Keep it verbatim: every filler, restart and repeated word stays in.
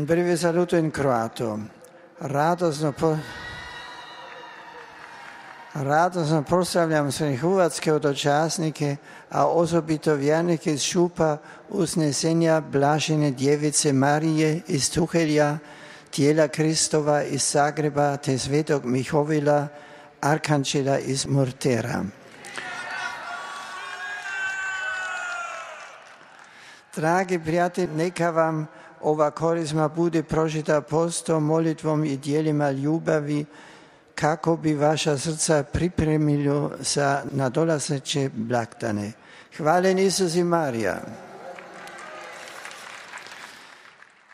Breve saluto in croato. Radosno, po... Radosno pozdravljam sve hrvatske hodočasnike, a osobito vjernike iz Šupa Uznesenja Blažene Djevice Marije iz Tuhelja, tijela Kristova iz Zagreba te svetog Mihovila, arkanđela iz Murtera. Dragi prijatelji, neka vam ova korizma bude prožita postom, molitvom i dijelima ljubavi, kako bi vaša srca pripremilo za nadolazeće blagdane. Hvala Isus i Marija.